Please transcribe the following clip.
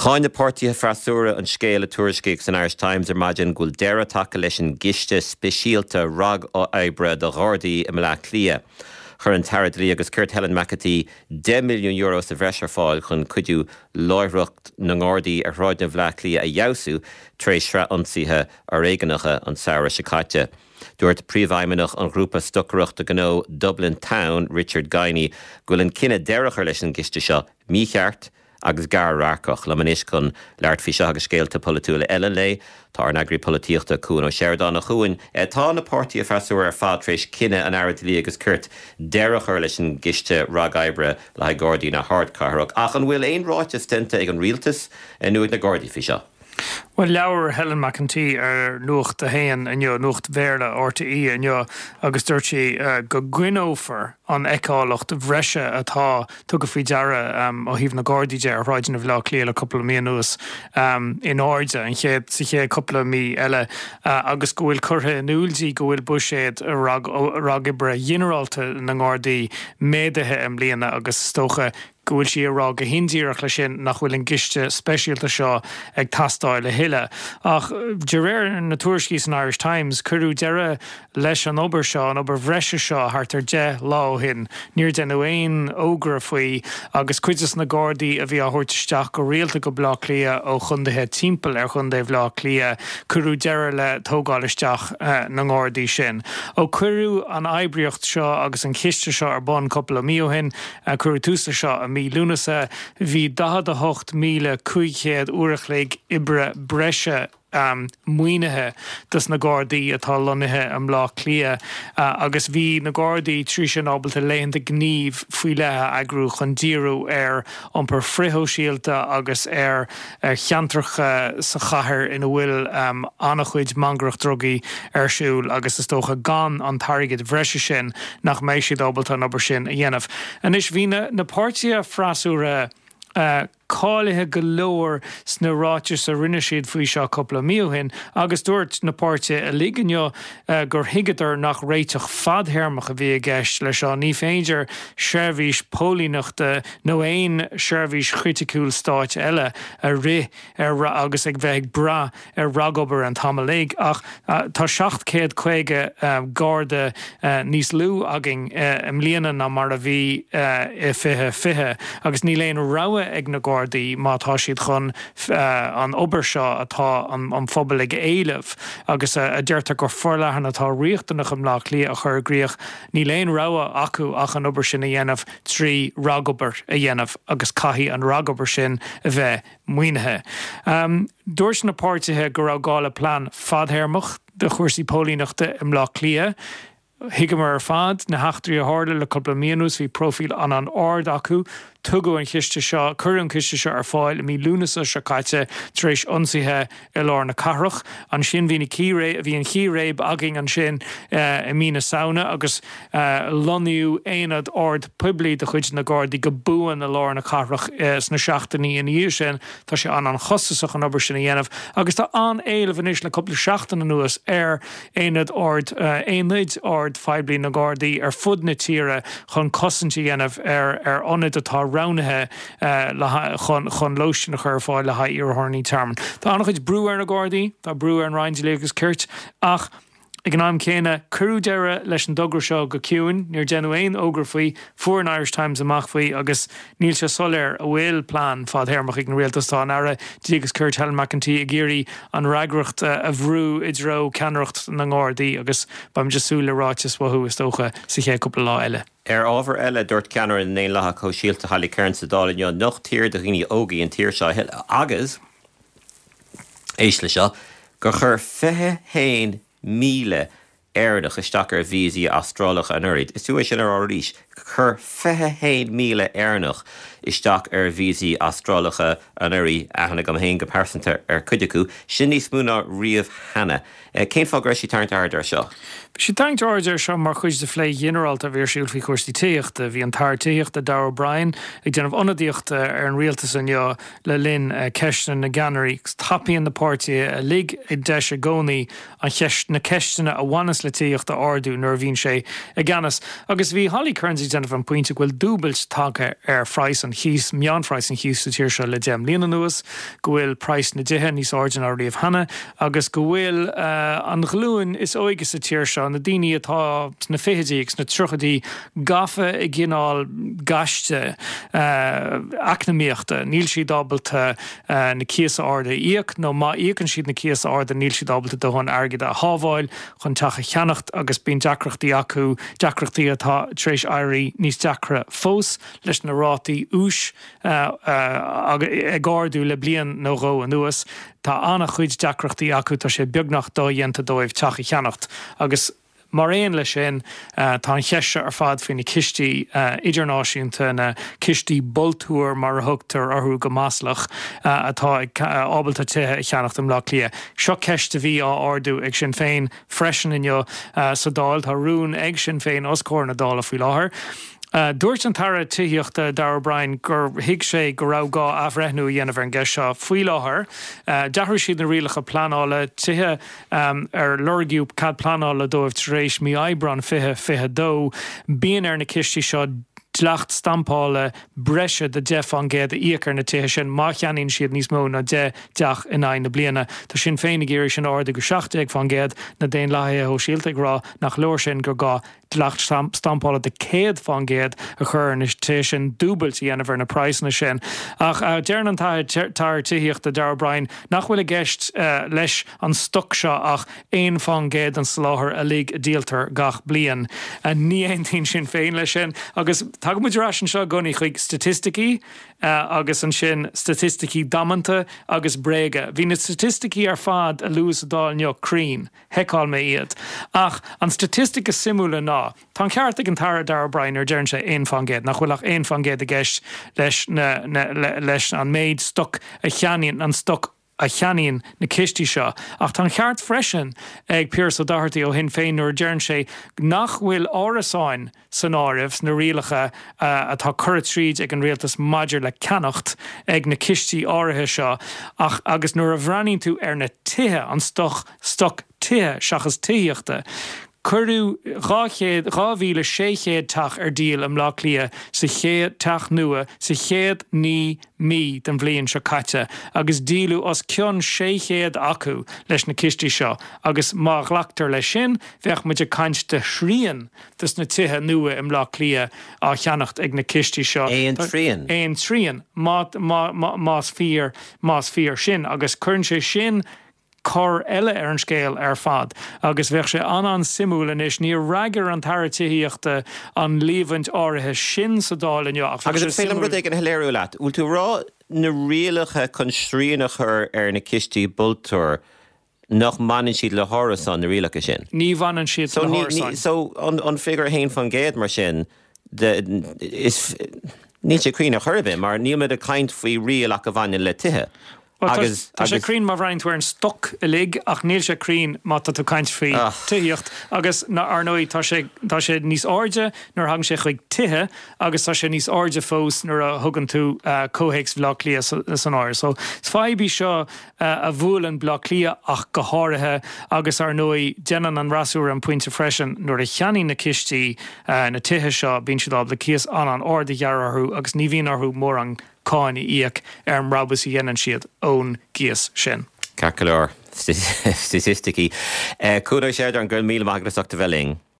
Cháin na páirtithe freasúra an scéal a tuairiscíodh san Irish Times ar maidin go bhfuil deireadh tagtha leis an gciste speisialta ragoibre do Ghardaí i mBleá Cliath. Chuir an tAire Dlí agus Cirt Helen McEntee €10 milliún sa bhreis ar fáil chun cuidiú láithreacht na nGardaí ar shráideanna Bhleá Cliath a fheabhsú tar éis sraith ionsaithe fhoréigneacha an samhradh seo caite. Dúirt Príomhfheidhmeannach an ghrúpa stocaireachta gnó Dublin Town, Richard Guiney, go bhfuil an cinneadh deireadh a chur leis an gciste seo mícheart agus gar-radharcach. Liom anois chun labhairt faoi seo agus scéalta polaitiúla eile an lae, tá ár n-eagraí polaitíochta, Cuan Ó Seireadáin. A Chuain, tá na páirtithe freasúra ar fad tar éis cinneadh an Aire Dlí agus Cirt deireadh a chur leis an gciste ragoibre le haghaidh Gardaí na hardchathrach. Ach an bhfuil aon ráiteas déanta ag an Rialtas nó ag na Gardaí faoi seo? Bhuel, labhair Helen McEntee ar Nuacht a hAon inniu, Nuacht Bhéarla RTÉ inniu, agus dúirt sí go gcoinneofar an fheiceálacht bhreise atá tugtha faoi deara ó thaobh na Gardaí de ar shráideanna Bhaile Átha Cliath le cúpla mí anuas in airde an chéad, sa chéad cúpla mí eile agus go bhfuil curtha in iúl di go bhfuil buiséad ragoibre ghinearálta na nGardaí méadaithe i mbliana agus is dócha go bhfuil sí ag rá go hindíreach leis sin nach bhfuil an gciste speisialta seo ag teastáil a thuilleadh. Ach de réir na tuairiscí san Irish Times, cuireadh deireadh leis an obair seo, an obair bhreise seo, thart ar 10 lá ó shin. Níor deineadh aon fhógra faoi agus cuid des na Gardaí a bhí á thabhairt isteach go rialta go Baile Átha Cliath ó chondaetha timpeall ar chondae Bhaile Átha Cliath, cuireadh deireadh le tógáil isteach na nGardaí sin. Ó cuireadh an oibríocht seo agus an ciste seo ar bun cúpla mí ó shin, Cuireadh tús leis seo i mí Lúnasa. Bhí 48,500 uair a chloig oibre breise maoinithe dos na Gardaí atá lonnaithe i mBleá Cliath agus bhí na Gardaí trí sin ábalta laethanta gnímh faoi leith a eagrú chun díriú ar iompar frithshóisialta agus ar cheantracha sa chathair ina bhfuil an-chuid mangaireacht drugaí ar siúl agus is dócha gan an t-airgead bhreise sin nach mbeidh siad ábalta an obair sin a dhéanamh. Anois bhí na páirtithe freasúra cáilithe go leor sna ráitis a rinne siad faoi seo cúpla mí ó shin agus dúirt na páirtithe uilig inniu gur thuigeadar nach réiteach fadthéarmach a bhí i gceist leis seo. Ní féidir seirbhís póilíneachta nó aon seirbhís chriticiúil stáit eile a rith ar agus ag bheith ag brath ar ragobair an t-am uilig. Ach tá 750 Garda níos lú againn i mbliana ná mar a bhí i 2020 agus níl aon rogha ag na Gardaí má tá siad chun an obair seo atá an phobal ag éileamh agus a deirtear gur forleathan atá riachtanach i mBleá Cliath a chur i gcrích, níl aon rogha acu ach an obair sin a dhéanamh trí ragobair a dhéanamh agus caithfidh an ragobair sin a bheith maoinithe. Dúirt na páirtithe go raibh gá le plean fadthéarmach do chúrsaí póilíneachta i mBleá Cliath. Thuigeamar ar fad na heachtraí a tharla le cúpla mí anuas, bhí próifíl an-an-ard acu. Tugadh an chiste seo, cuireadh an ciste seo ar fáil i mí Lúnasa seo caite tar éis ionsaithe i lár na cathrach. Ansin bhí na círéib, bhí an chíréib againn ansin i mí na Samhna agus lonnaíodh aonad ord poiblí de chuid na Gardaí go buan i lár na cathrach sna seachtainí ina dhiaidh sin. Tá sé an-an-chostasach an obair sin a dhéanamh agus tá an-éileamh anois le cúpla seachtain anuas ar aonad ord, aonaid ord phoiblí na nGardaí ar fud na tíre chun cosaint a dhéanamh ar ar ionaid atá roghnaithe le chun chun lóistín a chur ar fáil le haghaidh iarrthóirí tearmainn. Tá an-chuid brú ar na Gardaí, tá brú ar an Roinn Dlí agus Cirt ach ag an am céanna cuireadh deireadh leis an dtogra seo go ciúin, níor deineadh aon fhógra faoi, fuair an Irish Times amach faoi agus Níl sé soiléir an bhfuil plean fadthéarmach ag an rialtas. Tá an Aire Dlí agus Cirt Helen McEntee ag iarraidh an fhreagracht a bhrú i dtreo ceannaireacht na nGardaí agus beimid ag súil le ráiteas uathu, is dócha, sa chéad cúpla lá eile. Ar ábhar eile, dúirt ceannaire na nDaonlathach Sóisialta Holly Cairns sa Dáil inniu nach tír do dhaoine óga í an tír seo a thuilleadh agus, éist le seo, gur chuir 21,000 Éireannach isteach ar víosaí Astrálacha anuraidh. Is fiú é sin a rá arís, chuir 21,000 Éireannach isteach ar víosaí Astrálacha anuraidh, aithne agam féin go pearsanta ar chuid acu. Sin níos mó ná riamh cheana. Cén fáth go raibh sí ag tarraingt aird air seo? Bhí sí ag tarraingt aird air seo mar chuid de phlé ghinearálta a bhí ar siúl faoi chúrsaí tithíochta. Bhí an tAire Tithíochta, Darragh O'Brien, ag déanamh ionadaíochta ar an rialtas inniu le linn ceisteanna na gceannairí. Tapaíonn na páirtithe uilig an deis i gcónaí an cheist, na ceisteanna a bhaineas le tithíocht a ardú nuair a bhíonn sé i gceannas. Agus bhí Holly Cairns ag. ag déanamh an pointe go bhfuil dúbailt tagtha ar phraghas an chíos, meánphraghas an chíos sa tír seo le 10 mbliana anuas, go bhfuil praghas na dtithe níos airde ná riamh cheana agus go bhfuil an ghlúin is óige sa tír seo, na daoine atá sna fichidí agus sna tríochaidí, gafa i gcineál gaiste eacnamaíochta. Níl siad ábalta na cíosa arda a íoc nó má íocann siad na cíosa arda níl siad ábalta dóthain airgid a shábháil chun teach a cheannacht agus bíonn deacrachtaí acu, deacrachtaí atá tar éis éirí níos deacra fós leis na rátaí úis ag ardú le bliain nó dhó anuas. Tá an-chuid deacrachtaí acu, tá sé beagnach dodhéanta dóibh teach a cheannacht agus. Mar aon leis sin, tá an cheist seo ar fad faoi na cistí idirnáisiúnta, na cistí bultúir mar a thugtar orthu go maslach, atá ábalta tithe a cheannacht i mBleá Cliath. Seo ceist a bhí á ardú ag Sinn Féin freisin inniu sa Dáil. Tá rún ag Sinn Féin os comhair na Dála faoi láthair. Dúirt an tAire Tithíochta, Darragh O'Brien, gur thuig sé go raibh gá athbhreithniú a dhéanamh ar an gceist seo. Faoi láthair, d'athraigh siad na rialacha pleanála tithe ar lorgaíodh cead pleanála dóibh tar éis mí Aibreán 2022. Bíonn ar na cistí seo dleacht stampála breise de 10 fán gcéad a íoc ar na tithe sin má cheannaíonn siad níos mó ná 10 dteach in aghaidh na bliana. Tá Sinn Féin ag iarraidh sin a ardú go 17 fán gcéad, na Daonlathaithe Shóisialta ag rá nach leor sin, gur gá dleacht stampála de 100 fán gcéad a chur ar na tithe sin, dúbailt a dhéanamh ar na praghsanna sin. Ach deireann an tAire Tithíochta, Darragh O'Brien, nach bhfuil i gceist leis an stoc seo ach 1 fán gcéad den soláthar uilig a díoltar gach bliain. Ní aontaíonn Sinn Féin leis sin. Agus tagann muid ar ais anseo i gcónaí chuig staitisticí agus ansin staitisticí damanta agus bréaga. Bhí na staitisticí ar fad a luadh sa Dáil inniu cruinn. Sheiceáil mé iad. Ach an staitistic is suimiúla ná, tá an ceart ag an tAire Darragh O'Brien nuair a deireann sé 1%, nach bhfuil ach 1% i gceist leis na, leis an méid stoc a cheannaíonn, an stoc a cheannaíonn na cistí seo. Ach tá an ceart freisin ag Pearse Doherty ó Shinn Féin nuair a deireann sé nach bhfuil árasáin san áireamh sna rialacha atá curtha tríd ag an rialtas maidir le ceannacht ag na cistí áirithe seo ach agus nuair a bhreathnaíonn tú ar na tithe, an stoc, stoc tithe seachas tithíochta, cuireadh 200, 2,600 teach ar díol i mBleá Cliath sa chéad, teach nua sa chéad 9 mí den bhliain seo caite agus díoladh os cionn 600 acu leis na cistí seo agus má ghlactar leis sin bheadh muid ag caint de thrian des na tithe nua i mBleá Cliath á cheannacht ag na cistí seo. Aon trian. Aon trian, más fíor, más fíor sin. Agus cuireann sé sin cor eile ar an scéal ar fad. Agus bheadh sé an-an-suimiúil anois, níor fhreagair an tAire Tithíochta an líomhaint áirithe sin sa Dáil inniu ach bheadh sé suimiúil. Agus an féidir liom rud éigin a shoiléiriú leat? Bhfuil tú ag rá na rialacha chun srian a chur ar na cistí bultúir nach mbaineann siad le hárasáin, na rialacha sin? Ní bhaineann siad le hárasáin. So an figiúr 1% mar sin, is, níl sé cruinn ar chor ar bith mar níl muid ag caint faoi riail ach a bhaineann le tithe. Bhuel, tá, tá sé cruinn má bhreathnaíonn tú ar an stoc uilig ach níl sé cruinn má tá tú ag caint faoi tithíocht agus, ar ndóigh, tá sé, tá sé níos airde nuair a thagann sé chuig tithe agus tá sé níos airde fós nuair a thugann tú comhthéacs Bhaile Átha Cliath san áireamh. So, is fadhb í seo a bhuaileann Baile Átha Cliath ach go háirithe agus ar ndóigh déanann an fhreasúra an pointe freisin nuair a cheannaíonn na cistí na tithe seo bíonn siad ábalta cíos an-an-ard a ghearradh orthu agus ní bhíonn orthu mórán cáin a íoc ar an mbrabús a dhéanann siad ón gcíos sin. Ceart go leor. Staitisticí. Cuan Ó Seireadáin, go raibh míle maith agat as ucht a bheith linn.